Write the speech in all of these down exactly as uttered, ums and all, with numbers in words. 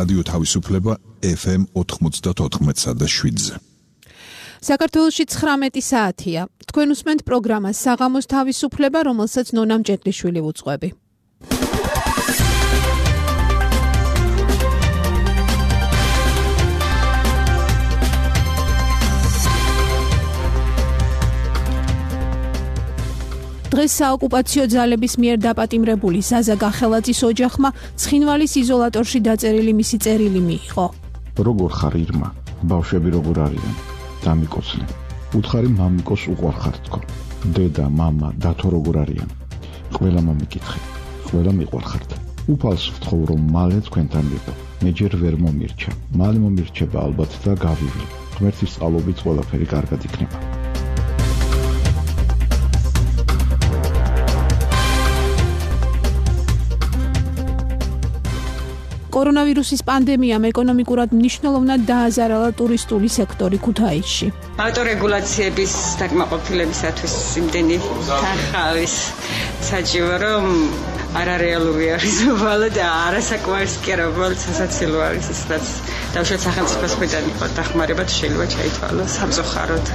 რადიო თავისუფლება ეფ ემ ოთხმოცდაოთხ და შვიდზე. საქართველოში ცხრამეტი საათია. თქვენ უსმენთ პროგრამას საღამოს თავისუფლება, რომელსაც ნონა მჭედლიშვილი უძღვები. დღეს საოკუპაციო ძალების მიერ დაპატიმრებული ზაზა გახელაძის ოჯახმა ცხინვალის იზოლატორში დაწერილი მისი წერილი მიიღო. როგორ ხარ ირმა? ბავშვები როგორ არიან? დამიკოცნე. უთხარი მამიკოს უყვარხარ თქო. დედა, მამა, დათო როგორ არიან? ყველა მომიკითხე. ყველა მიყვარხართ. უფალს ვთხოვ რომ მალე თქვენთან ვიყო. მე ჯერ ვერ მომირჩა. მალე მომირჩება ალბათ და გავივლი. ღმერთის წყალობით ყველაფერი კარგად იქნება. კორონავირუსის პანდემიამ ეკონომიკურად მნიშვნელოვნად დააზარალა ტურისტული სექტორი ქუთაისში. ავტორეგულაციების დაკმაყოფილებისათვის იმდენი თანხავის საჭირო, რომ არარეალური არის მოვალე და არასაკმარისი კი არა, მოვალე სასაცილო არის ის, რაც დავშოთ სახელმწიფოს მხრიდან იყო დახმარება შეიძლება ჩაითვალოს სამწუხაროდ.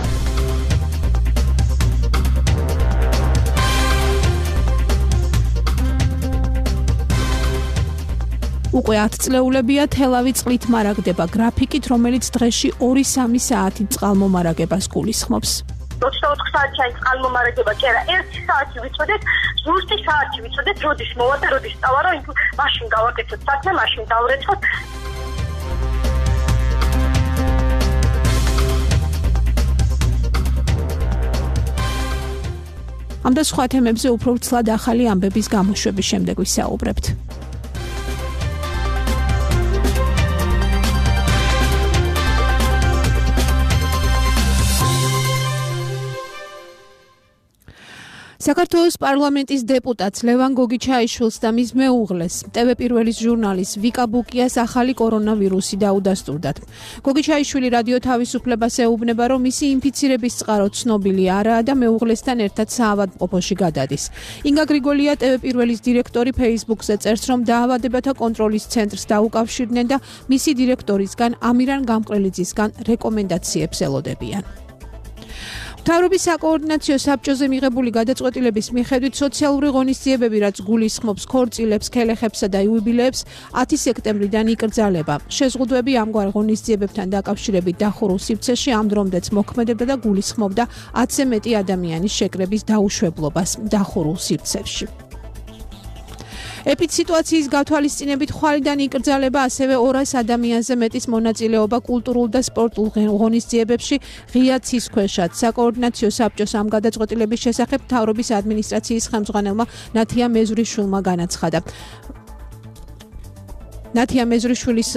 უკვე ათ წლეულებია თელავი წყლით მარაგდება გრაფიკით, რომელიც დღეში ორი სამი საათი წყალმომარაგებას გულისხმობს. ოცდაოთხ საათიანი წყალმომარაგება კი არა, ერთი საათი ვიცოდეთ, ზუსტი საათი ვიცოდეთ, როდის მოვა და როდის წავა, რომ მაშინ გავაკეთოთ საქმე, მაშინ დავრეცხოთ. ამ და სხვა თემებზე უფრო ვრცლად ახალი ამბების გამოშვების შემდეგ ვისაუბრებთ. საქართველოს პარლამენტის დეპუტატს ლევან გოგიჩაიშვილს და მის მეუღლეს ტევ პირველის ჟურნალის ვიკა ბუკიას ახალი კორონავირუსი დაუდასტურდათ. გოგიჩაიშვილი რადიო თავისუფლებას ეუბნება, რომ მისი ინფიცირების წყარო ცნობილი არაა და მეუღლესთან ერთად საავადმყოფოში გადადის. ინგა გრიგოლია ტევ პირველის დირექტორი ფეისბუქზე წერს, რომ დაავადებათა კონტროლის ცენტრს დაუკავშირდნენ და მისი დირექტორისგან ამირან გამყრელიძისგან რეკომენდაციებს ელოდებიან. მთავრობის საკოორდინაციო საბჭოზე მიღებული გადაწყვეტილების მიხედვით სოციალური ღონისძიებები, რაც გულისხმობს ქორწილებს, ქელეხებსა და იუბილეებს, ათი სექტემბრიდან იკრძალება. შეზღუდვები ამგვარ ღონისძიებებთან დაკავშირებით დახურულ სივრცეში ამ დრომდეც მოქმედებდა და გულისხმობდა ათზე მეტი ადამიანის შეკრების დაუშვებლობას დახურულ სივრცეში. ეპიდსიტუაციის გათვალისწინებით ხვალიდან იკრძალება ასევე ორას ადამიანზე მეტის მონაწილეობა კულტურულ და სპორტულ ღონისძიებებში ღია ცისქვეშად. საკოორდინაციო საბჭოს ამ გადაწყვეტილების შესახებ მთავრობის ადმინისტრაციის ხელმძღვანელმა ნათია მეზრიშვილმა განაცხადა. ნათია მეზრიშვილის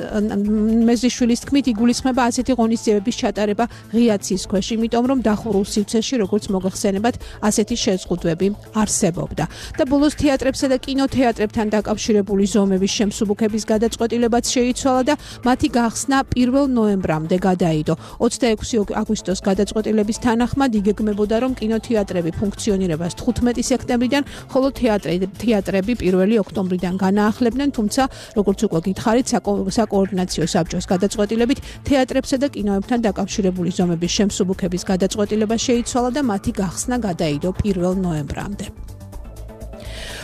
მეზრიშვილის თქმით, იგულისხმება ასეთი ღონისძიებების ჩატარება ღია ცისქვეშ, იმიტომ რომ დახურულ სივრცეში, როგორც მოგეხსენებათ, ასეთი შეზღუდვები არსებობდა. და ბოლოს თეატრებსა და კინოთეატრებთან დაკავშირებული ზომების შემსუბუქების გადაწყვეტილებაც შეიცვალა და მათი გახსნა პირველ ნოემბრამდე გადაიდო. ოცდაექვსი აგვისტოს გადაწყვეტილების თანახმად იგეგმებოდა, რომ კინოთეატრები ფუნქციონირებას თხუთმეტი სექტემბრიდან, ხოლო თეატრები პირველი ოქტომბრიდან განაახლებდნენ, თუმცა როგორც უკვე გითხარით, საკოორდინაციო საბჭოს გადაწყვეტილებით თეატრებსა და კინოებთან დაკავშირებული ზომების შემსუბუქების გადაწყვეტილება შეიცვალა და მათი გახსნა გადაიდო პირველ ნოემბრამდე.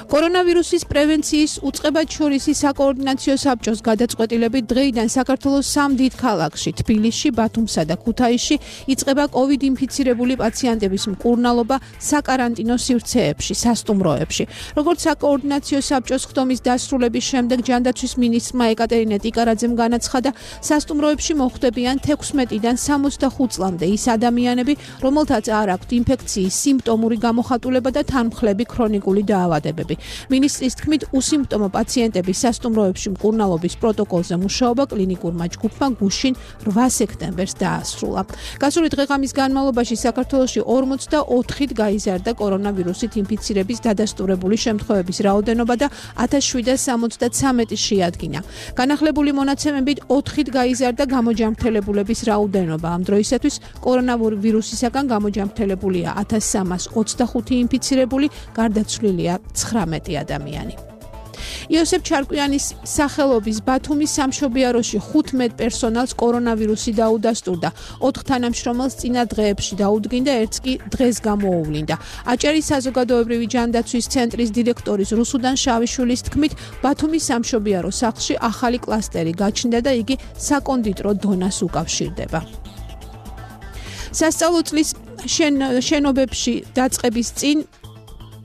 კორონავირუსის პრევენციის უწყებათშორისი საკოორდინაციო საბჭოს გადაწყვეტილებით დღეიდან საქართველოს სამ დიდ ქალაქში, თბილისში, ბათუმსა და ქუთაისში იწყება კოვიდ ინფიცირებული პაციენტების მკურნალობა საკარანტინო სივრცეებში, სასტუმროებში. როგორც საკოორდინაციო საბჭოს ხდომის დასრულების შემდეგ ჯანდაცვის მინისტრმა ეკატერინე ტიკარაძემ განაცხადა, სასტუმროებში მოხვდებიან თექვსმეტიდან სამოცდახუთ წლამდე ის ადამიანები, რომელთაც არ აქვთ ინფექციის სიმპტომური გამოხატულება და თანმხლები ქრონიკული დაავადებები. მინისტრის თქმით, უსიმპტომო პაციენტების სასტუმროებში მკურნალობის პროტოკოლზე მუშაობა კლინიკურმა ჯგუფმა გუშინ რვა სექტემბერს დაასრულა. გასული დღე-ღამის განმავლობაში საქართველოში ორმოცდაოთხით გაიზარდა კორონავირუსით ინფიცირების დადასტურებული შემთხვევების რაოდენობა და ათას შვიდას სამოცდათვრამეტი შეადგინა. განახლებული მონაცემებით ოთხით გაიზარდა გამოჯანმრთელებულების რაოდენობა. ამ დროისათვის კორონავირუსისაგან გამოჯანმრთელებულია ათას სამას ოცდახუთი ინფიცირებული, გარდაცვლილია ცხრამეტი ადამიანი. იოსებ ჩარკვიანის სახელობის ბათუმის სამშობიაროში ხუთმეტ პერსონალს კორონავირუსი დაუდასტურდა. ოთხ თანამშრომელს წინა დღეებში დაუდგინდა, ერთს კი დღეს გამოუვლინდა. აჭარის საზოგადოებრივი ჯანდაცვის ცენტრის დირექტორის რუსუდან შავიშვილის თქმით, ბათუმის სამშობიარო სახლში ახალი კლასტერი გაჩნდა და იგი საკონდიტრო დონას უკავშირდება. სასწავლო წლის შენობებში დაწყების წინ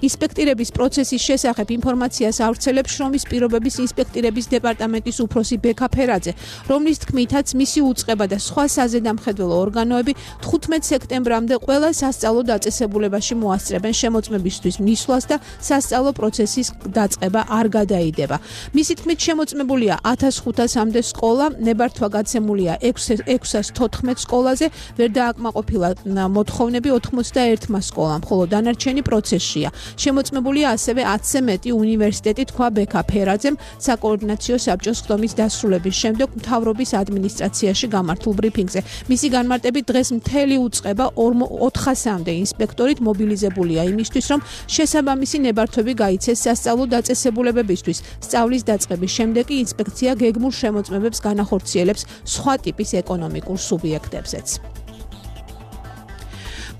ინსპექტირების პროცესის შესახებ ინფორმაციას ავრცელებს შრომის პირობების ინსპექტირების დეპარტამენტის უფროსი ბექა ფერაძე, რომლის თქმითაც მისი უწყება და სხვა საზედამხედველო ორგანოები თხუთმეტ სექტემბრამდე ყველა სასწავლო დაწესებულებაში მოასწრებენ შემოწმებისთვის მისვლას და სასწავლო პროცესის დაწყება არ გადაიდება. მისი თქმით შემოწმებულია ათას ხუთასამდე სკოლა, ნებართვა გაცემულია ექვსას თოთხმეტ სკოლაზე, ვერ დააკმაყოფილა მოთხოვნები ოთხმოცდაერთმა სკოლამ, ხოლო დანარჩენი პროცესშია. შემოწმებულია ასევე ათზე მეტი უნივერსიტეტი, თქვა ბექა ფერაძემ საკოორდინაციო საბჭოს ხდომის დასრულების შემდეგ მთავრობის ადმინისტრაციაში გამართულ ბრიფინგზე. მისი განმარტებით დღეს მთელი უწყება ოთხასამდე ინსპექტორით მობილიზებულია იმისთვის, რომ შესაბამისი ნებართვები გაიცეს სასწავლო დაწესებულებებისთვის. სწავლის დაწყების შემდეგ კი ინსპექცია გეგმურ შემოწმებებს განახორციელებს სხვა ტიპის ეკონომიკურ სუბიექტებზეც.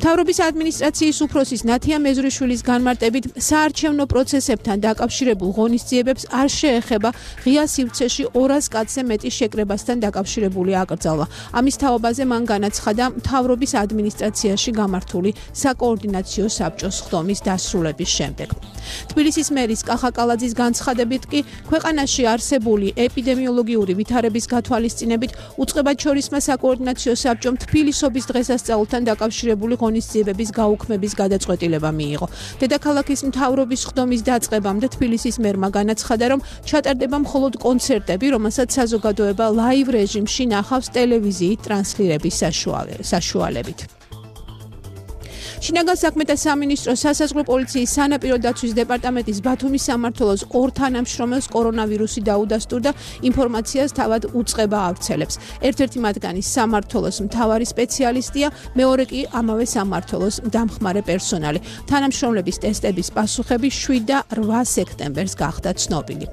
მთავრობის ადმინისტრაციის უფროსის ნათია მეზრიშვილის განმარტებით საარჩევნო პროცესებთან დაკავშირებულ ღონისძიებებს არ შეეხება ღია სივრცეში ორას კაცზე მეტი შეკრებასთან დაკავშირებული აკრძალვა. ამის თაობაზე მან განაცხადა მთავრობის ადმინისტრაციაში გამართული საკოორდინაციო საბჭოს ხდომის დასრულების შემდეგ. თბილისის მერის კახა კალაძის განცხადებით კი ქვეყანაში არსებული ეპიდემიოლოგიური ვითარების გათვალისწინებით უწყებაჩორისმა საკოორდინაციო საბჭომ თბილისობის დღესასწაულთან დაკავშირებული ღონისძიებების გაუქმების გადაწყვეტილება მიიღო. დედაქალაქის მთავრობის ხდომის დაწყებამდე თბილისის მერმა განაცხადა, რომ ჩატარდება მხოლოდ კონცერტები, რომელსაც საზოგადოება ლაივ რეჟიმში ნახავს ტელევიზიით ტრანსლირების საშუალებით. შინაგან საქმეთა სამინისტროს სასაზღვრო პოლიციის სანაპირო დაცვის დეპარტამენტის ბათუმის სამმართველოს ორ თანამშრომელს კორონავირუსი დაუდასტურდა, ინფორმაციას თავად უწყება ავრცელებს. ერთ-ერთი მათგანი სამმართველოს მთავარი სპეციალისტია, მეორე კი ამავე სამმართველოს დამხმარე პერსონალი. თანამშრომლების ტესტების პასუხები შვიდ და რვა სექტემბერს გახდა ცნობილი.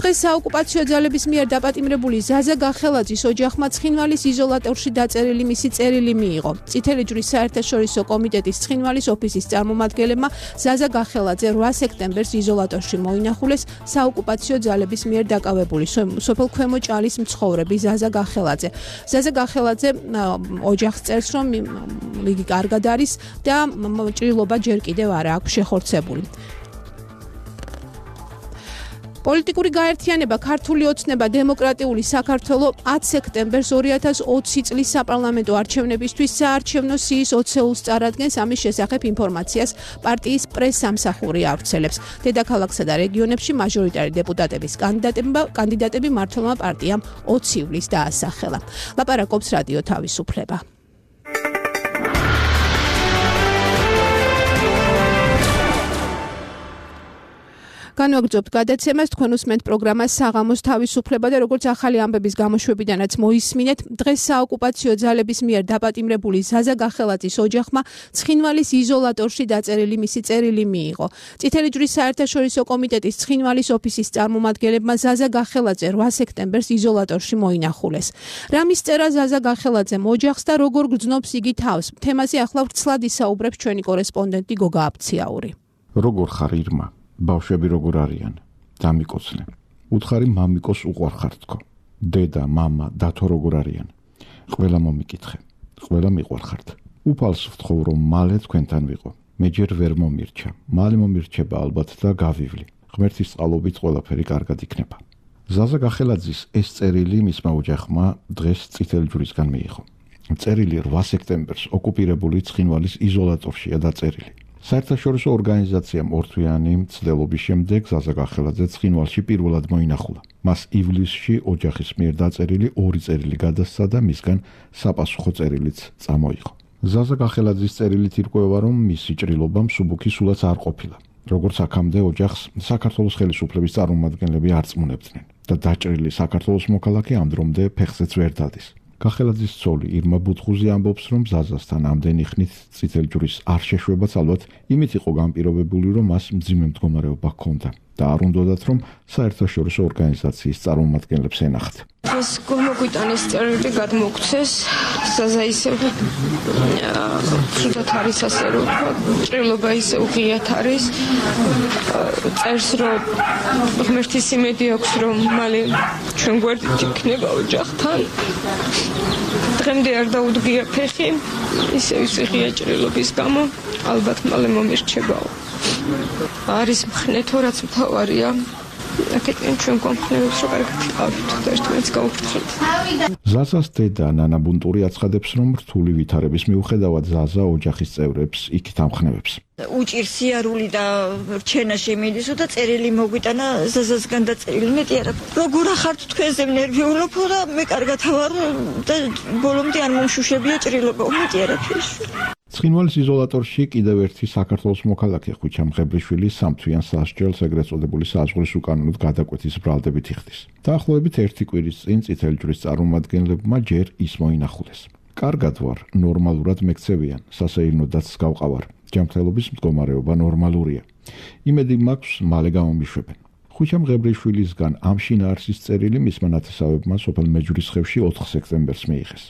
დღეს საოკუპაციო ძალების მიერ დაპატიმრებული ზაზა გახელაძის ოჯახმა ცხინვალის იზოლატორში დაწერილი მისი წერილი მიიღო. წითელი ჯვრის საერთაშორისო კომიტეტის ცხინვალის ოფისის წარმომადგენლებმა ზაზა გახელაძე რვა სექტემბერს იზოლატორში მოინახულეს საოკუპაციო ძალების მიერ დაკავებული სოფელ ქვემო ჭალის მცხოვრები ზაზა გახელაძე. ზაზა გახელაძე ოჯახს წერს, რომ იგი კარგად არის და ჭრილობა ჯერ კიდევ არ აქვს შეხორცებული. პოლიტიკური გაერთიანება ქართული ოცნება დემოკრატიული საქართველო ათ სექტემბერს ორი ათას ოცი წლის საპარლამენტო არჩევნებისთვის საარჩევნო სიის ოცეულს წარადგენს. ამის შესახებ ინფორმაციას პარტიის პრეს-სამსახური ავრცელებს. დედაქალაქსა და რეგიონებში მაჟორიტარი დეპუტატების კანდიდატები მმართველმა პარტიამ ოცი ივლისს დაასახელა. ლაპარაკობს რადიო თავისუფლება. განვაგრძობთ გადაცემას, თქვენ უსმენთ პროგრამას საღამოს თავისუფლება და როგორც ახალი ამბების გამოშვებიდანაც მოისმინეთ, დღეს საოკუპაციო ძალების მიერ დაპატიმრებული ზაზა გახელაძის ოჯახმა ცხინვალის იზოლატორში დაწერილი მისი წერილი მიიღო. წითელი ჯვრის საერთაშორისო კომიტეტის ცხინვალის ოფისის წარმომადგენლებმა ზაზა გახელაძე რვა სექტემბერს იზოლატორში მოინახულეს. რამის წერა ზაზა გახელაძემ ოჯახს და როგორ გრძნობს იგი თავს? თემაზე ახლა ვრცლად ისაუბრებს ჩვენი კორესპონდენტი გოგა აფციაური. როგორ ხარ ირმა? ბავშვები როგორ არიან? დამიკოცნე. უთხარი მამიკოს უყვარხარ თქო. დედა, მამა, დათო როგორ არიან? ყველა მომიკითხე. ყველა მიყვარხართ. უფალს ვთხოვ, რომ მალე თქვენთან ვიყო. მე ჯერ ვერ მომირჩა. მალე მომირჩება ალბათ და გავივლი. ღმერთის წყალობით ყველაფერი კარგად იქნება. ზაზა გახელაძის ეს წერილი მისმა ოჯახმა დღეს წითელი ჯვრისგან მიიღო. წერილი რვა სექტემბერს ოკუპირებული ცხინვალის იზოლატორშია დაწერილი. საერთაშორისო ორგანიზაციამ ორთვიანი მცდელობის შემდეგ ზაზა გახელაძე ცხინვალში პირველად მოინახულა. მას ივლისში ოჯახის მიერ დაწერილი ორი წერილი გადასცა და მისგან საპასუხო წერილიც წამოიღო. ზაზა გახელაძის წერილით ირკვევა, რომ მისი ჭრილობა მსუბუქი სულაც არ ყოფილა. როგორც აქამდე ოჯახს საქართველოს ხელისუფლების წარმომადგენლები არ წმუნებდნენ და დაჭრილი საქართველოს მოქალაქე ამ დრომდე ფეხზეც ვერ დადის. გახელაძის ცოლი ირმა ბუთხუზი ამბობს, რომ ზაზასთან ამდენი ხნით წითელი ჯვრის არ შეშვებაც ალბათ იმით იყო განპირობებული, რომ მას მძიმე მდგომარეობა ჰქონდა და არ უნდათ, რომ საერთაშორისო ორგანიზაციის წარმომადგენლებს ენახთ. ეს გომოგვიტანის წერილი გადმოგცეს, ზაზა ისევ ცუდად არის, ასე რომ ჭრილობა ისევ ღიათ არის, წერს, რომ ღმერთის იმედი აქვს, რომ მალე ჩვენ გვერდით იქნება ოჯახთან. დღემდე არ დაუდგია ფეხი, ისევ ისე ღია ჭრილობის გამო, ალბათ მალე მომირჩებაო. არის მხნე თუ რაც მთავარია. აკეთებენ ჩვენ კომპლექსს რო კარგად ვიყავით და ერთმანეთს გავუფრთხილდით. ზაზას დედა ნანა ბუნტური აცხადებს, რომ რთული ვითარების მიუხედავად ზაზა ოჯახის წევრებს იქით ამხნევებს. უჭირს სიარული და რჩენა შემიძლია და წერილი მოგვიტანა ზაზასგან და წერილი მეტი არა. როგორ ახართ თქვენზე ნერვიულობ და მე კარგად ვარ და ბოლომდე არ მომშუშებია ჭრილობა, მეტი არაფერი. ცხინვალის იზოლატორში კიდევ ერთი საქართველოს მოქალაქე ხვიჩა მღებრიშვილი სამთვიან სასჯელს ეგრეთ წოდებული საზღვრის უკანონოდ გადაკვეთის ბრალდებით იხდის. დაახლოებით ერთი კვირის წინ წითელი ჯვრის წარმომადგენლებმა ჯერ ის მოინახულეს. კარგად ვარ, ნორმალურად მექცევიან, სასეირნოდაც გავყავარ. ჯანმრთელობის მდგომარეობა ნორმალურია. იმედი მაქვს, მალე გამომიშვებენ. ხვიჩა მღებრიშვილისგან ამ შინაარსის წერილი მისმა ნათესავებმა სოფელ მეჯვრისხევში ოთხ სექტემბერს მიიღეს.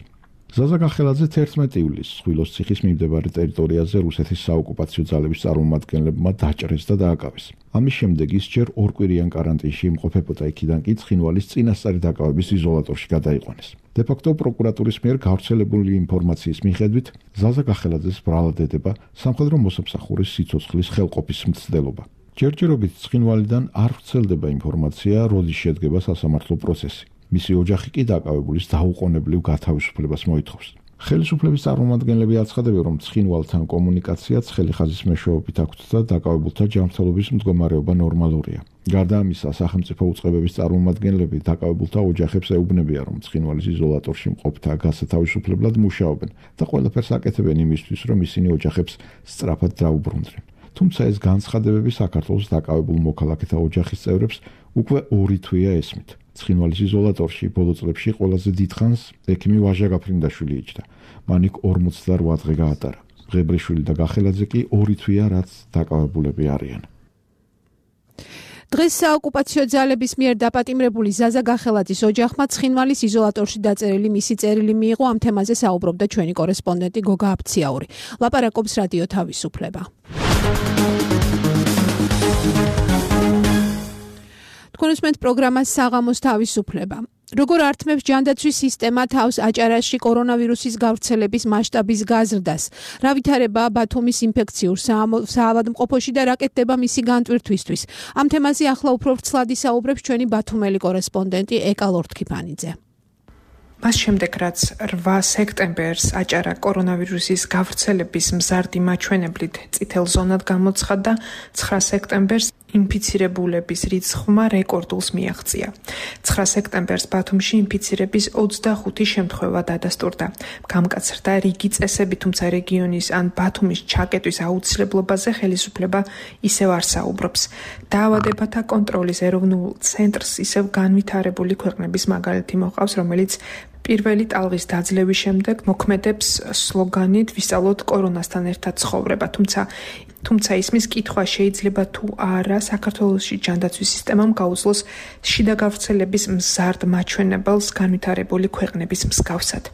ზაზა გახელაძე თერთმეტი ივლისს ხვილოს ციხის მიმდებარე ტერიტორიაზე რუსეთის საოკუპაციო ძალების წარმომადგენლებმა დაჭრეს და დააკავეს. ამის შემდეგ ის ჯერ ორკვირიან კარანტინში იმყოფებოდა, იქიდან კი ცხინვალის წინასწარი დაკავების იზოლატორში გადაიყვანეს. დე-ფაქტო პროკურატურის მიერ გავრცელებული ინფორმაციის მიხედვით, ზაზა გახელაძეს ბრალად ედება სამხედრო მოსამსახურის სიცოცხლის ხელყოფის მცდელობა. ჯერჯერობით ცხინვალიდან არ ვრცელდება ინფორმაცია, როდის შედგება სასამართლო პროცესი. მისი ოჯახი კი დაკავებულის დაუყოვნებლივ გათავისუფლებას მოითხოვს. ხელისუფლების წარმომადგენლები აცხადებენ, რომ ცხინვალთან კომუნიკაციაც ხელიხაზის მეშვეობით აქვთ და დაკავებულთა ჯანმრთელობის მდგომარეობა ნორმალურია. გარდა ამისა, სახელმწიფო უწყებების წარმომადგენლები დაკავებულთა ოჯახებს ეუბნებიან, რომ ცხინვალის იზოლატორში მყოფთა გასათავისუფლებლად მუშაობენ და ყველაფერს აკეთებენ იმისთვის, რომ ისინი ოჯახებს სწრაფად დაუბრუნდნენ. თუმცა ეს განცხადებები საქართველოს დაკავებულ მოქალაქეთა ოჯახის წევრებს უკვე ორი თვეა ესმით. ცხინვალის იზოლატორში ბოლო წლებში ყველაზე დიდხანს ექიმი ვაჟა გაფრინდაშვილი იჯდა. მან იქ ორმოცდაოთხ დღე გაატარა. მღებრიშვილი და გახელაძე კი ორი თვეა რაც დაკავებულები არიან. დღეს საოკუპაციო ძალების მიერ დაპატიმრებული ზაზა გახელაძის ოჯახმა ცხინვალის იზოლატორში დაწერილი მისი წერილი მიიღო. ამ თემაზე საუბრობდა ჩვენი კორესპონდენტი გოგა აფციაური. ლაპარაკობს რადიო თავისუფლება. თქვენ უსმენთ პროგრამას საღამოს თავისუფლება. როგორ ართმევს ჯანდაცვის სისტემა თავს აჭარაში კორონავირუსის გავრცელების მასშტაბის გაზრდას? რა ვითარებაა ბათუმის ინფექციურ საავადმყოფოში და რა კეთდება მისი განტვირთვისთვის? ამ თემაზე ახლა უფრო ვრცლად ისაუბრებს ჩვენი ბათუმელი კორესპონდენტი ეკა ლორთქიფანიძე. მას შემდეგ, რაც რვა სექტემბერს აჭარა კორონავირუსის გავრცელების მზარდი მაჩვენებლით წითელ ზონად გამოცხადდა, ცხრა სექტემბერს ინფიცირებულების რიცხვმა რეკორდულს მიაღწია. ცხრა სექტემბერს ბათუმში ინფიცირების ოცდახუთი შემთხვევა დადასტურდა. გამკაცრდა რიგი წესები, თუმცა რეგიონის ან ბათუმის ჩაკეტვის აუცილებლობაზე ხელისუფლება ისევ არ საუბრობს. დაავადებათა კონტროლის ეროვნულ ცენტრს ისევ განვითარებული ქვეყნების მაგალითი მოყავს, რომელიც პირველი ტალღის დაძლევის შემდეგ მოქმედებს სლოგანით ვისწავლოთ კორონასთან ერთად ცხოვრება, თუმცა თუმცა ისმის კითხვა შეიძლება თუ არა საქართველოში ჯანდაცვის სისტემამ გაუძლოს შიდა გავრცელების მზარდ მაჩვენებელს განვითარებული ქვეყნების მსგავსად.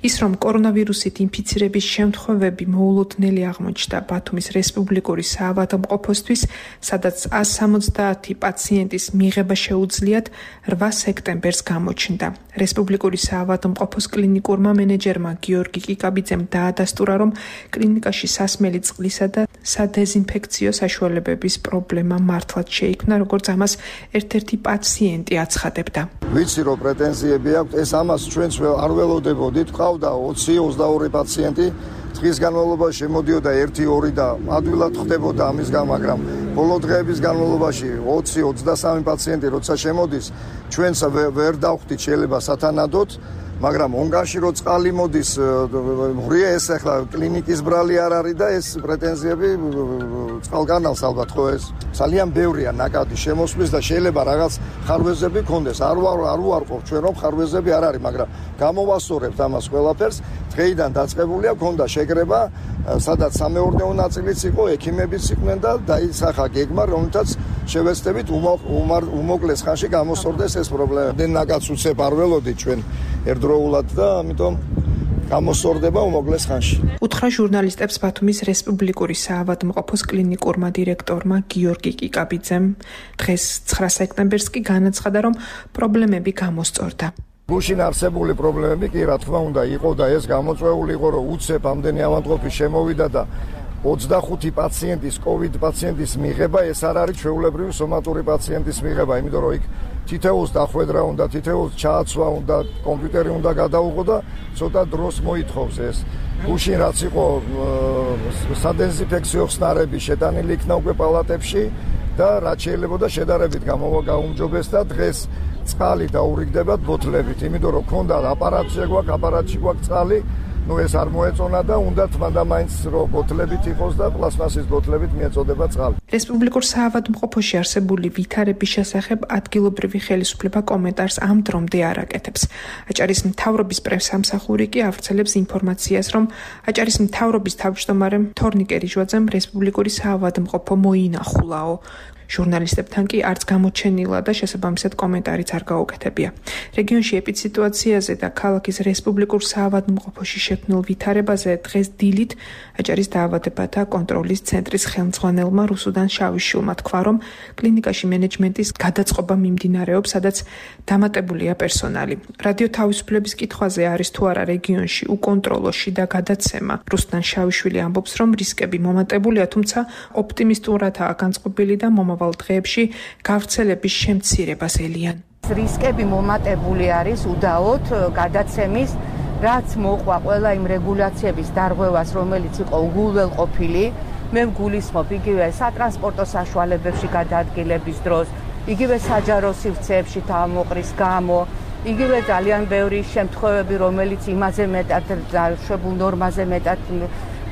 ის რომ კორონავირუსით ინფიცირების შემთხვევები მოულოდნელი აღმოჩნდა ბათუმის რესპუბლიკური საავადმყოფოსთვის, სადაც ას სამოცდაათი პაციენტის მიღება შეუძლიათ, რვა სექტემბერს გამოჩნდა. რესპუბლიკური საავადმყოფოს კლინიკურმა მენეჯერმა გიორგი კიკაბიძემ დაადასტურა, რომ კლინიკაში სასმელი წყლისა და სადეზინფექციო საშუალებების პრობლემა მართლაც შეიქმნა, როგორც ამას ერთ-ერთი პაციენტი აცხადებდა. ვიცი რომ პრეტენზიები აქვს, ეს ამას ჩვენც არ ველოდებოდით. ყავდა ოცი ოცდაორი პაციენტი, დღის განმავლობაში შემოდიოდა ერთი ორი და ადვილად ხდებოდა ამისგან, მაგრამ ბოლო დღეების განმავლობაში ოცი ოცდასამი პაციენტი როცა შემოდის, ჩვენც ვერ დავხვდით შეიძლება სათანადოდ მაგრამ ონგანში რო წყალი მოდის ღრია ეს ახლა კლინიკის ბრალი არ არის და ეს პრეტენზიები წყალკანალს ალბათ ხო ეს ძალიან ბევრია ნაკადი შემოსვლის და შეიძლება რაღაც ხარვეზები კონდეს არ ვარ არ ვარყოფ ჩვენ რომ ხარვეზები არ არის მაგრამ გამოვასწორებთ ამას ყველაფერს დღეიდან დაწყებულია ქონდა შეკრება სადაც სამეურნეო ნაწილიც იყო ექიმებიც იყვნენ და დაისახა გეგმა რომელთაც შევეცდებით უმოკლეს ხანში გამოსწორდეს ეს პრობლემა დენ ნაკადს უცებ არ ველოდი ჩვენ ერთდროულად და ამიტომ გამოსწორდება უმოკლეს ხანში. უთხრა ჟურნალისტებს ბათუმის რესპუბლიკური საავადმყოფოს კლინიკურმა დირექტორმა გიორგი კიკაბიძემ. დღეს ცხრა სექტემბერს კი განაცხადა, რომ პრობლემები გამოსწორდა. გუშინ არსებული პრობლემები კი რა თქმა უნდა იყო და ეს გამოწვეული იყო, რომ უცებ ამდენი ავადმყოფი შემოვიდა და ოცდახუთი პაციენტის COVID პაციენტის მიღება ეს არ არის ჩვეულებრივი სომატური პაციენტის მიღება, იმიტომ რომ იქ თითოეულს დახვედრა უნდა, თითოეულს ჩააცვა უნდა, კომპიუტერი უნდა გადაუღო და ცოტა დროს მოითხოვს ეს. გუშინ რაც იყო სადეზინფექციო ხსნარები შეტანილი იქნა უკვე პალატებში და რაც შეიძლება და შედარებით გამოვა გაუმჯობეს და დღეს წყალი დაურიგდებათ ბოთლებით, იმიტომ რომ ქონდა აპარატი გვაქვს, აპარატში გვაქვს წყალი ნუ ეს არ მოეწონა და უნდა თმანდა მაინც რომ ბოთლებით იყოს და პლასმასის ბოთლებით მიეწოდება წყალი. რესპუბლიკურ საავადმყოფოში არსებული ვითარების შესახებ ადგილობრივი ხელისუფლება კომენტარს ამ დრომდე არ აკეთებს. აჭარის მთავრობის პრესამსახური კი ავრცელებს ინფორმაციას, რომ აჭარის მთავრობის თავმჯდომარემ თორნიკე რიჟვაძემ რესპუბლიკური საავადმყოფო მოინახულაო. ჟურნალისტებთან კი არც გამოჩენილა და შესაბამისად კომენტარიც არ გაუკეთებია. რეგიონში ეპიდსიტუაციაზე და ქალაქის რესპუბლიკურ საავადმყოფოში შექმნილ ვითარებაზე დღეს დილით აჭარის დაავადებათა კონტროლის ცენტრის ხელმძღვანელმა რუსუდან შავიშვილმა თქვა, რომ კლინიკაში მენეჯმენტის გადაწყობა მიმდინარეობს, სადაც დამატებულია პერსონალი. რადიო თავისუფლების კითხვაზე არის თუ არა რეგიონში უკონტროლოში და გადაცემა. რუსუდან შავიშვილი ამბობს, რომ რისკები მომატებულია, თუმცა ოპტიმისტურადაა განწყობილი და მომავალ დღეებში გავრცელების შემცირებას ელიან. რისკები მომატებული არის უდაოდ გადაცემის, რაც მოყვა ყველა იმ რეგულაციების დარღვევას, რომელიც იყო უგულველყოფილი. მე მგულისხმობ იგივე სატრანსპორტო საშუალებებში გადაადგილების დროს, იგივე საჯარო სივრცეებში თავმოყრის გამო, იგივე ძალიან ბევრი შემთხვევები, რომელიც იმაზე მეტად დაშვებულ ნორმაზე მეტად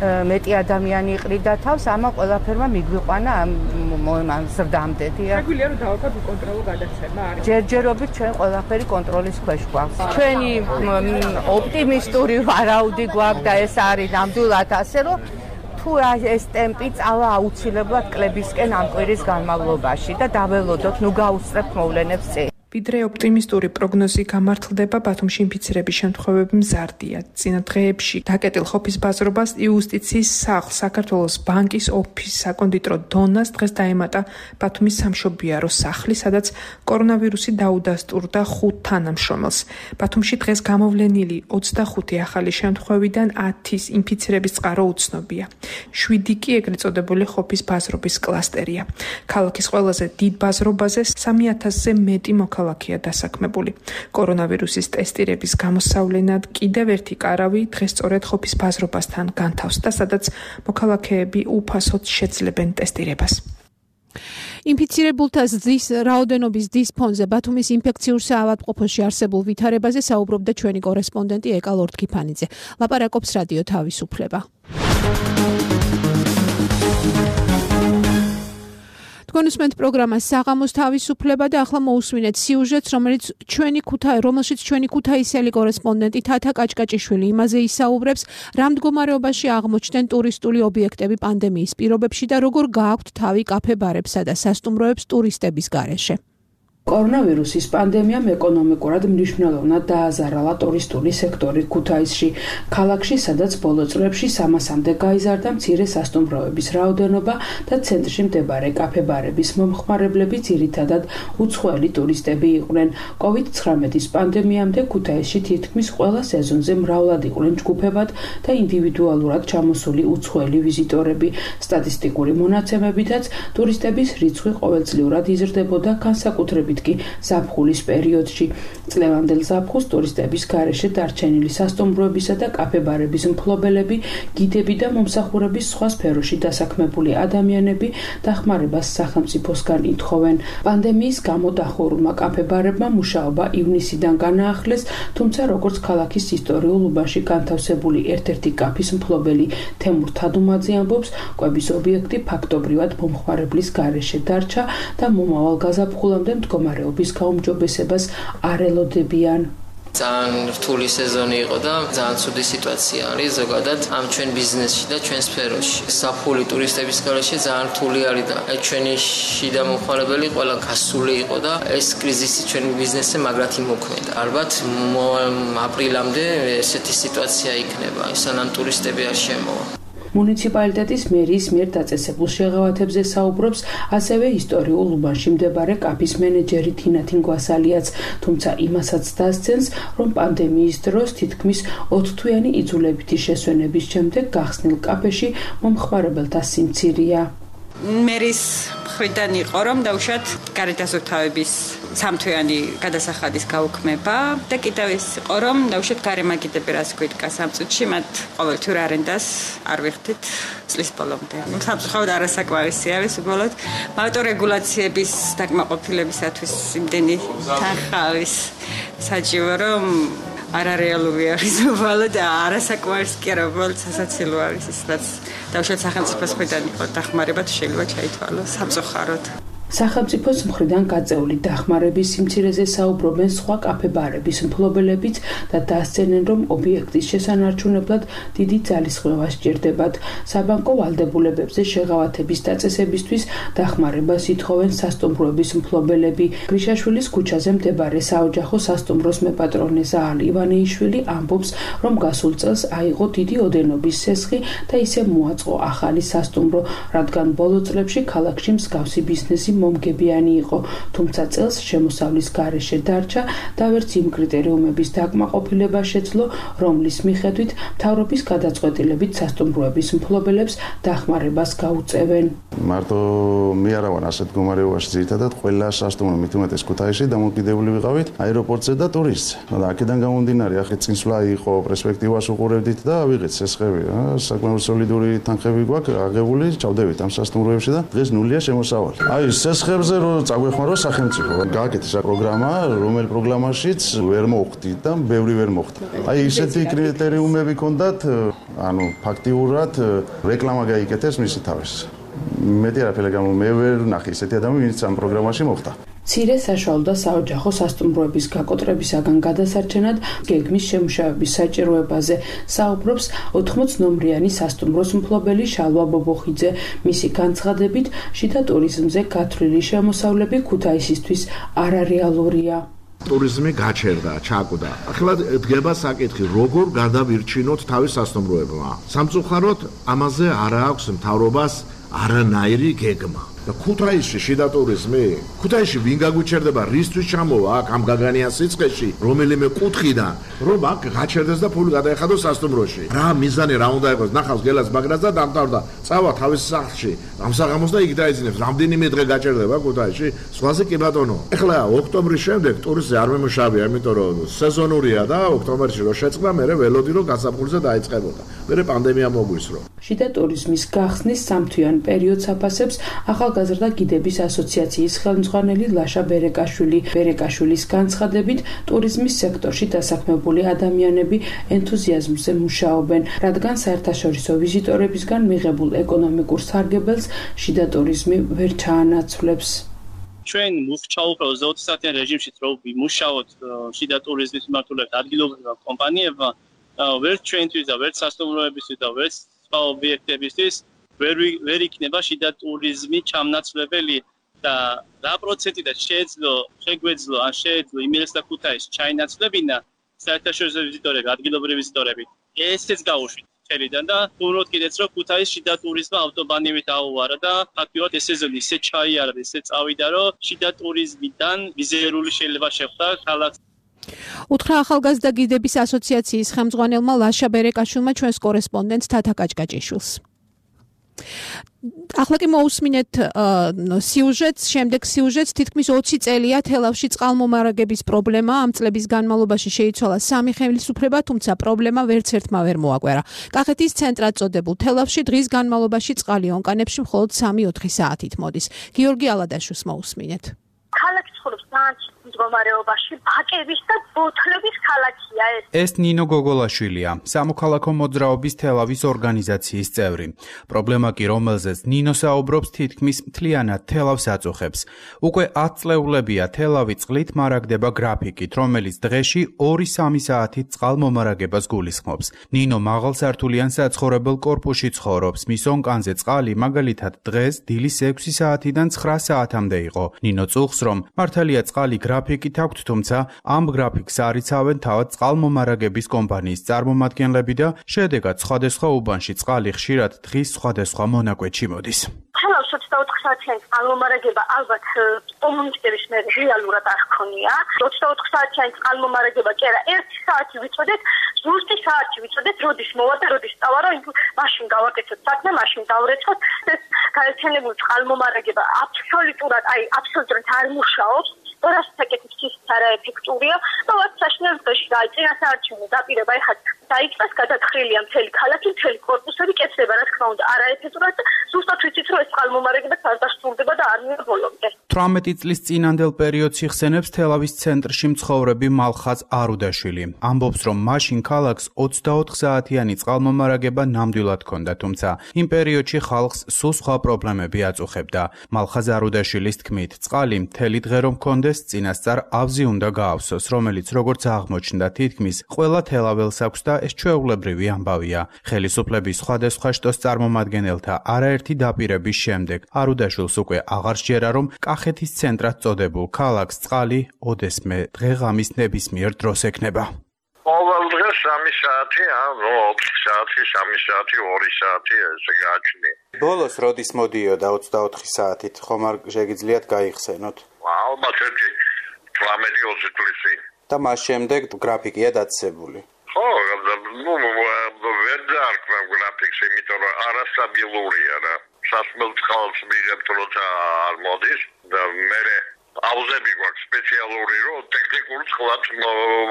მეტი ადამიანი იყრიდა თავს, ამა ყველაფერმა მიგვიყვანა ამ ზრდამდე. შეგვიძლია რომ დავაქვათ უკონტროლო გადაცემა არის. ჯერჯერობით ჩვენ ყველაფერი კონტროლის ქვეშ გვაქვს. ჩვენი ოპტიმისტური ვარაუდი გვაქვს და ეს არის ნამდვილად ასე, რომ თუ ეს ტემპი წავა აუცილებლად კლებისკენ ამ კვირის განმავლობაში და დაველოდოთ, ნუ გაუსწრებთ მოვლენებს წინ. ვიდრე ოპტიმისტური პროგნოზი გამართლდება, ბათუმში ინფიცირების შემთხვევები მზარდია. წინა დღეებში დაკეტილ ხოფის ბაზრობას იუსტიციის სახლს, საქართველოს ბანკის ოფისს, საკონდიტრო დონას დღეს დაემატა ბათუმის სამშობიარო სახლი, სადაც კორონავირუსი დაუდასტურდა ხუთ თანამშრომელს. ბათუმში დღეს გამოვლენილი ოცდახუთი ახალი შემთხვევიდან ათის ინფიცირების წყარო უცნობია. შვიდი კი ეგრეთ წოდებული ხოფის ბაზრობის კლასტერია. ქალაქის ყველაზე დიდ ბაზრობაზე სამი ათასზე მეტი მოქალაქეა ქალაქია დასაქმებული. კორონავირუსის ტესტირების გამოსავლენად კიდევ ერთი კარავი დღეს სწორედ ხოფის ბაზრობასთან განთავსდა, სადაც მოქალაქეები უფასოდ შეძლებენ ტესტირებას. ინფიცირებულთა ზის რაოდენობის დის ფონზე ბათუმის ინფექციურ საავადმყოფოში არსებულ ვითარებაზე საუბრობდა ჩვენი კორესპონდენტი ეკა ლორთქიფანიძე. ლაპარაკობს რადიო თავისუფლება. კონსუმენტ პროგრამა საღამოს თავისუფლება და ახლა მოусვინეთ სიუჟეტს, რომელიც ჩვენი ქუთაი, რომელშიც ჩვენი ქუთაისელი კორესპონდენტი თათა კაჭკაჭიშვილი იმაზე ისაუბრებს, რა მდგომარეობაში აღმოჩნდნენ ტურისტული ობიექტები პანდემიის პირობებში და როგორ გააქვთ თავი კაფე-ბარებსა და სასტუმროებს ტურისტების გარეშე. კორონავირუსის პანდემიამ ეკონომიკურად მნიშვნელოვნად დააზარალა ტურისტული სექტორი ქუთაისში. ქალაქში, სადაც ბოლო წლებში სამასამდე გაიზარდა მცირე სასტუმროების რაოდენობა და ცენტრში მდებარე კაფე-ბარების მომხმარებლები ძირითადად უცხოელი ტურისტები იყვნენ. კოვიდ ცხრამეტის პანდემიამდე ქუთაისში თითქმის ყველა სეზონზე მრავლად იყვნენ ჯგუფებად და ინდივიდუალურად ჩამოსული უცხოელი ვიზიტორები. სტატისტიკური მონაცემებითაც ტურისტების რიცხვი ყოველწლიურად იზრდებოდა, განსაკუთრებით კი ზაფხულის პერიოდში. წლევანდელ ზაფხულს ტურისტების გარეშე დარჩენილი სასტუმროებისა და კაფე-ბარების მფლობელები, გიდები და მომსახურების სხვა სფეროში დასაქმებული ადამიანები დახმარებას სახელმწიფოსგან ითხოვენ. პანდემიის გამო დახურულმა კაფე-ბარებმა მუშაობა ივნისიდან განაახლეს, თუმცა როგორც ქალაქის ისტორიულ უბანში განთავსებული ერთ-ერთი კაფის მფლობელი თემურ თადუმაძე ამბობს, კვების ობიექტი ფაქტობრივად მომხმარებლის გარეშე დარჩა და მომავალ გაზაფხულამდე მდგომარეობის გაუმჯობესებას არ ელოდებიან. ძალიან რთული სეზონი იყო და ძალიან ცუდი სიტუაცია არის ზოგადად ამ ჩვენ ბიზნესში და ჩვენ სფეროში. საფული ტურისტების გარეშე ძალიან რთული არის და ჩვენი შიდა მომხმარებელი ყველა გასული იყო და ეს კრიზისი ჩვენ ბიზნესზე მაგრად იმოქმედა. ალბათ აპრილამდე ესეთი სიტუაცია იქნება, სანამ ტურისტები არ შემოვა. მუნიციპალიტეტის მერიის მიერ დაწესებულ შეღავათებზე საუბრობს ასევე ისტორიულ უბანში მდებარე კაფის მენეჯერი თინა თინგვასალიაც, თუმცა იმასაც დასცენს, რომ პანდემიის დროს თითქმის ოთხთვიანი იძულებითი შესვენების შემდეგ გახსნილ კაფეში მომხმარებელთა სიმცირეა. მერის მხრიდან იყო, რომ დაუშვათ გარეთასუფთავების სამთვიანი გადასახადის გაუქმება და კიდევ ის იყო, რომ დაუშვათ გარემაგიდები რას გვიდგა სამ წუთში, მათ ყოველთვიურ არენდას არ ვიხდით წლის ბოლომდე. სამწუხაროდ არასაკმარისი არის უბრალოდ ავტორეგულაციების დაკმაყოფილებისათვის იმდენი თანხა არის საჭირო, რომ არარეალური არის უბრალოდ და არასაკმარისი კი არა, უბრალოდ სასაცილო არის ის, რაც დავუშვათ სახელმწიფოს მხრიდან იყო დახმარება თუ შეიძლება ჩაითვალოს სამწუხაროდ. სახელმწიფოს მხრიდან გაწეული დახმარების სიმცირეზე საუბრობენ სხვა კაფე-ბარების მფლობელებიც და დასცენენ, რომ ობიექტის შესანარჩუნებლად დიდი ძალისხმევა სჭირდებათ. საბანკო ვალდებულებებზე შეღავათების დაწესებისთვის დახმარებას ითხოვენ სასტუმროების მფლობელები. გრიშაშვილის ქუჩაზე მდებარე საოჯახო სასტუმროს მეპატრონე ზაალ ივანეიშვილი ამბობს, რომ გასულ წელს აიღო დიდი ოდენობის სესხი და ისე მოაწყო ახალი სასტუმრო, რადგან ბოლო წლებში ქალაქში მსგავსი ბიზნესი მომგებიანი იყო, თუმცა წელს შემოსავლის გარეშე დარჩა და ვერც იმ კრიტერიუმების დაკმაყოფილება შეძლო, რომლის მიხედვით მთავრობის გადაწყვეტილებით სასტუმროების მფლობელებს დახმარებას გაუწევენ. მარტო მე არა ვარ ასეთ მდგომარეობაში, ძირითადად ყველა სასტუმრო მით უმეტეს ქუთაისში დამოკიდებული ვიყავით აეროპორტზე და ტურისტზე. და აქედან გამომდინარე, ახლა წინსვლა იყო, პერსპექტივას უყურებდით და ავიღეთ სესხები, საკმაოდ სოლიდური თანხები გვაქვს აღებული, ჩავდებით ამ სასტუმროებში და დღეს ნულია შემოსავალი. აი სესხებზე რომ წაგვეხმარო სახელმწიფო. გააკეთეს პროგრამა, რომელ პროგრამაშიც ვერ მოხდი და ბევრი ვერ მოხდა. აი ისეთი კრიტერიუმები ქონდათ, ანუ ფაქტიურად რეკლამა გაიკეთეს მისი თავის. მეტი არაფერი გამო მე ვერ ნახე ისეთი ადამიანი, ვინც ამ პროგრამაში მოხდა. მცირე საშუალო და საოჯახო სასტუმროების გაკოტრებისაგან გადასარჩენად გეგმის შემუშავების საჭიროებაზე საუბრობს ოთხმოც ნომრიანი სასტუმროს მფლობელი შალვა ბობოხიძე. მისი განცხადებით, შიდა ტურიზმზე გათვლილი შემოსავლები ქუთაისისთვის არარეალურია. ტურიზმი გაჩერდა, ჩაკვდა. ახლა დგება საკითხი, როგორ გადავირჩინოთ თავის სასტუმროებმა. სამწუხაროდ ამაზე არ აქვს მთავრობას არანაირი გეგმა. და ქუთაისში შიდა ტურიზმი? ქუთაისში ვინ გაგვიჩერდება, რისთვის ჩამოვა აქ ამ გაგანიან სიცხეში, რომელიმე კუთხიდან, რომ აქ გაჩერდეს და ფული გადაეხადოს სასტუმროში. რა მიზანი რა უნდა იყოს? ნახავს გელას მაგრას და დამთავრდა. წავა თავის სახლში. ამ საღამოს და იქ დაიძინებს. რამდენიმე დღე გაჩერდება ქუთაისში? სხვაზე კი ბატონო. ეხლა ოქტომბრის შემდეგ ტურისტი არ მემუშავია, იმიტომ რომ სეზონურია და ოქტომბერში რო შეწყდა, მერე ველოდი რომ გასაფხულზე დაიწყებოდა. მერე პანდემია მოგვისრო. შიდა ტურიზმის გახსნის სამთვიან პერიოდს აფასებს ახალგაზრდა გიდების ასოციაციის ხელმძღვანელი ლაშა ბერეკაშვილი. ბერეკაშვილის განცხადებით, ტურიზმის სექტორში დასაქმებული ადამიანები ენთუზიაზმზე მუშაობენ, რადგან საერთაშორისო ვიზიტორებისგან მიღებულ ეკონომიკურ სარგებელს შიდა ტურიზმი ვერ ჩაანაცვლებს. ჩვენ მოვჩაუბრ ოცდაოთხ საათიან რეჟიმში რო ვიმუშაოთ შიდა ტურიზმის მიმართულებით ადგილობრივმა კომპანიებმა, ვერც ჩვენთვის და ვერც სასტუმროებისთვის და ვერც სხვა ობიექტებისთვის ვერ ვერ იქნება შიდა ტურიზმი ჩამნაცვლებელი და რა პროცენტიდან შეეძლო შეგვეძლო ან შეეძლო იმერეს და ქუთაისს ჩაინაცვლებინა საერთაშორისო ვიზიტორები, ადგილობრივი ვიზიტორები. ესეც გაუშვით ხელიდან და ვუმროთ კიდეც რომ ქუთაისს შიდა ტურიზმმა ავტობანივით აუვარა და ფაქტიურად ეს სეზონი ისე ჩაიარა და ისე წავიდა რომ შიდა ტურიზმიდან მიზერული შეიძლება შეხვდა ქალაქს. უთხრა ახალგაზრდა გიდების ასოციაციის ხელმძღვანელმა ლაშა ბერეკაშვილმა ჩვენს კორესპონდენტს თათა კაჭკაჭიშვილს. ახლა კი მოусმინეთ სიუჟეტს, შემდეგ სიუჟეტს თითქმის ოცი წელია თელავში წყალმომარაგების პრობლემა, ამ წლების განმავლობაში შეიცვალა სამი ხელისუფლება, თუმცა პრობლემა ვერც ერთმა ვერ მოაკვერა. კახეთის ცენტრად წოდებულ თელავში დღის განმავლობაში წყალი ონკანებში მხოლოდ სამი ოთხი საათით მოდის. გიორგი ალადაშვილს მოусმინეთ. ქალაქი ცხოვრობს ძალიან მდგომარეობაში, ბაკების და ბოთლების ქალაქია ეს. ეს ნინო გოგოლაშვილია, სამოქალაქო მოძრაობის თელავის ორგანიზაციის წევრი. პრობლემა კი, რომელზეც ნინო საუბრობს, თითქმის მთლიანად თელავს აწუხებს. უკვე ათ წლეულებია თელავი წყლით მარაგდება გრაფიკით, რომელიც დღეში ორი სამი საათით წყალმომარაგებას გულისხმობს. ნინო მაღალსართულიან საცხოვრებელ კორპუსში ცხოვრობს, მის ონკანზე წყალი მაგალითად დღეს დილის ექვსი საათიდან ცხრა საათამდე იყო. ნინო წუხს, რომ მართალია წყალი გრაფიკით აქვთ, თუმცა ამ გრაფიკს არიცავენ თავად წყალმომარაგების კომპანიის წარმომადგენლები და შედეგად სხვადასხვა უბანში წყალი ხშირად დღის სხვადასხვა მონაკვეთში მოდის. თელავს ოცდაოთხ საათიანი წყალმომარაგება ალბათ კომუნიკების მე რეალურად არ ჰქონია. ოცდაოთხ საათიანი წყალმომარაგება კი არა, ერთი საათი ვიცოდეთ, ზუსტი საათი ვიცოდეთ, როდის მოვა და როდის წავა, რომ მაშინ გავაკეთოთ საქმე, მაშინ დავრეცხოთ. ეს გაერთიანებული წყალმომარაგება აბსოლუტურად, აი, აბსოლუტურად არ მუშაობს. რასაც აკეთებს ის არაეფექტურია და ვაც საშინელ დღეში დაიწინა საარჩევნო დაპირება, ეხლა დაიწყეს გადათხრილია მთელი ქალაქი, მთელი კორპუსები კეთდება, რა თქმა უნდა, არაეფექტურად და ზუსტად ვიცით, რომ ეს წყალმომარაგება არ დასრულდება და არ მიერ ბოლომდე. თვრამეტი წლის წინანდელ პერიოდს იხსენებს თელავის ცენტრში მცხოვრები მალხაზ არუდაშვილი. ამბობს, რომ მაშინ ქალაქს ოცდაოთხ საათიანი წყალმომარაგება ნამდვილად ჰქონდა, თუმცა იმ პერიოდში ხალხს სულ სხვა პრობლემები აწუხებდა. მალხაზ არუდაშვილის თქმით, წყალი მთელი დღე რომ ჰქონდეს, წინასწარ ავზი უნდა გაავსოს, რომელიც როგორც აღმოჩნდა თითქმის ყველა თელაველს აქვს და ეს ჩვეულებრივი ამბავია. ხელისუფლების სხვადასხვა შტოს წარმომადგენელთა არაერთი დაპირების შემდეგ არუდაშვილს უკვე აღარ სჯერა, რომ კახეთის ცენტრად წოდებულ ქალაქს წყალი ოდესმე დღეღამის ნებისმიერ დროს ექნება. ყოველ დღეს სამი საათი, ანუ ოთხ საათი, სამი საათი, ორი საათი ესე გააჩნია. ბოლოს როდის მოდიოდა ოცდაოთხი საათით, ხომ არ შეგიძლიათ გაიხსენოთ? ალბათ ერთი თვრამეტი ოცი წლის წინ. და მას შემდეგ გრაფიკია დაწესებული. ხო, ნუ ვერ დაარქვა გრაფიკს, იმიტომ რომ არასტაბილურია რა. სასმელ წყალს მიღებთ, როცა არ მოდის და მე აუზები გვაქვს სპეციალური, რომ ტექნიკურ წყლად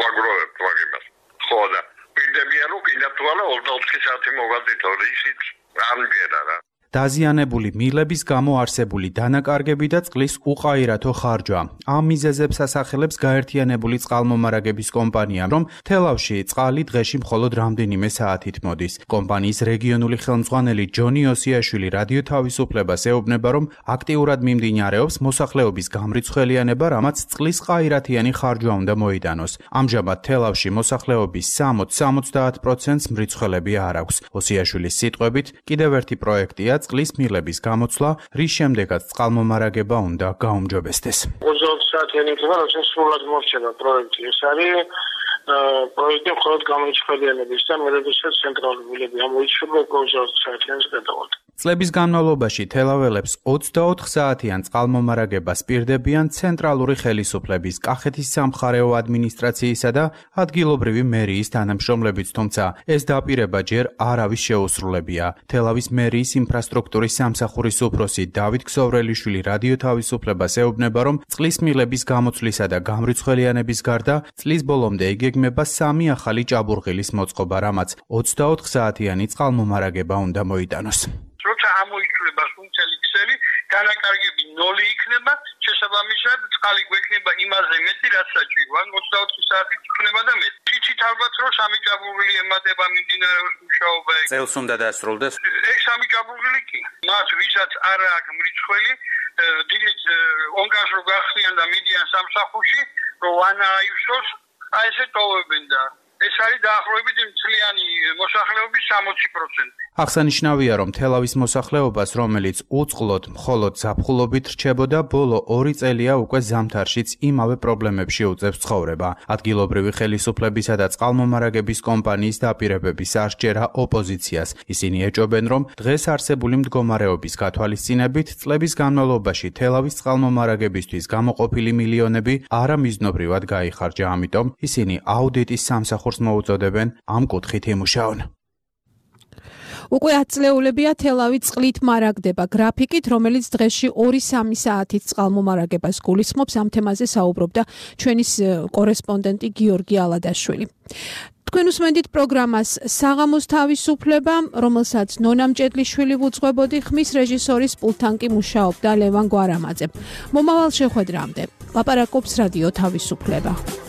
ვაგროვებთ მაგებას. ხო და პირდებიან, რომ კიდევ თუ არა ოცდაოთხი საათი მოვადით, ისიც არ მგერა რა. დაზიანებული მილების გამო არსებული დანაკარგები და წყლის უყაირათო ხარჯვა. ამ მიზეზებს ასახელებს გაერთიანებული წყალმომარაგების კომპანია, რომ თელავში წყალი დღეში მხოლოდ რამდენიმე საათით მოდის. კომპანიის რეგიონული ხელმძღვანელი ჯონი ოსიაშვილი რადიო თავისუფლებას ეუბნება, რომ აქტიურად მიმდინარეობს მოსახლეობის გამრიცხველიანება, რამაც წყლის ყაირათიანი ხარჯვა უნდა მოიდანოს. ამჟამად თელავში მოსახლეობის სამოცდა სამოცდაათ პროცენტს მრიცხველები არ აქვს. ოსიაშვილის სიტყვებით, კიდევ ერთი პროექტია წყლის მილების გამოცვლა, რის შემდეგაც წყალმომარაგება უნდა გაუმჯობესდეს. ოცდაოთხ საათიანი იქნება, როცა სრულად მორჩება პროექტი. ეს არის პროექტი მხოლოდ გამრიცხველიანების და მე როდესაც ცენტრალური მილები ამოიჩვენა ოცდაოთხ საათიანს გადავალთ. წლების განმავლობაში თელაველებს ოცდაოთხ საათიან წყალმომარაგებას პირდებიან ცენტრალური ხელისუფლების, კახეთის სამხარეო ადმინისტრაციისა და ადგილობრივი მერიის თანამშრომლებიც, თუმცა ეს დაპირება ჯერ არავის შეუსრულებია. თელავის მერიის ინფრასტრუქტურის სამსახურის უფროსი დავით ქსოვრელიშვილი რადიო თავისუფლებას ეუბნება, რომ წყლის მილების გამოცვლისა და გამრიცხველიანების გარდა წლის ბოლომდე იგეგმება სამი ახალი ჭაბურღილის მოწყობა, რამაც ოცდაოთხ საათიანი წყალმომარაგება უნდა მოიტანოს. როცა ამოიცვლება სუნცელი ქსელი, დანაკარგები ნოლი იქნება, შესაბამისად წყალი გვექნება იმაზე მეტი, რაც საჭირო. ან ოცდაოთხ საათით იქნება და მეტი. თითით ალბათ რომ სამი ჭაბურღილი ემატება მიმდინარეობს მუშაობა. წელს უნდა დასრულდეს. ეს სამი ჭაბურღილი კი. მათ ვისაც არ აქვს მრიცხველი, დილით ონკას რო გახსნიან და მიდიან სამსახურში, რომ ანაიუსოს, აი ესე ტოვებენ და ეს არის დაახლოებით მთლიანი მოსახლეობის სამოცი პროცენტი. აღსანიშნავია, რომ თელავის მოსახლეობას, რომელიც უწყლოდ მხოლოდ ზაფხულობით რჩებოდა, ბოლო ორი წელია უკვე ზამთარშიც იმავე პრობლემებში უწევს ცხოვრება. ადგილობრივი ხელისუფლებისა და წყალმომარაგების კომპანიის დაპირებების არ სჯერა ოპოზიციას. ისინი ეჭობენ, რომ დღეს არსებული მდგომარეობის გათვალისწინებით წლების განმავლობაში თელავის წყალმომარაგებისთვის გამოყოფილი მილიონები არამიზნობრივად გაიხარჯა, ამიტომ ისინი აუდიტის სამსახურს მოუწოდებენ ამ კუთხით იმუშაონ. უკვე ათ წლეულებია თელავი წყლით მარაგდება გრაფიკით, რომელიც დღეში ორი სამი საათით წყალმომარაგებას გულისხმობს. ამ თემაზე საუბრობდა ჩვენი კორესპონდენტი გიორგი ალადაშვილი. თქვენ უსმენთ პროგრამას საღამოს თავისუფლება, რომელსაც ნონა მჭედლიშვილი ვუძღვებოდი, ხმის რეჟისორის პულტთან კი მუშაობდა ლევან გვარამაძე. მომავალ შეხვედრამდე ლაპარაკობს რადიო თავისუფლება.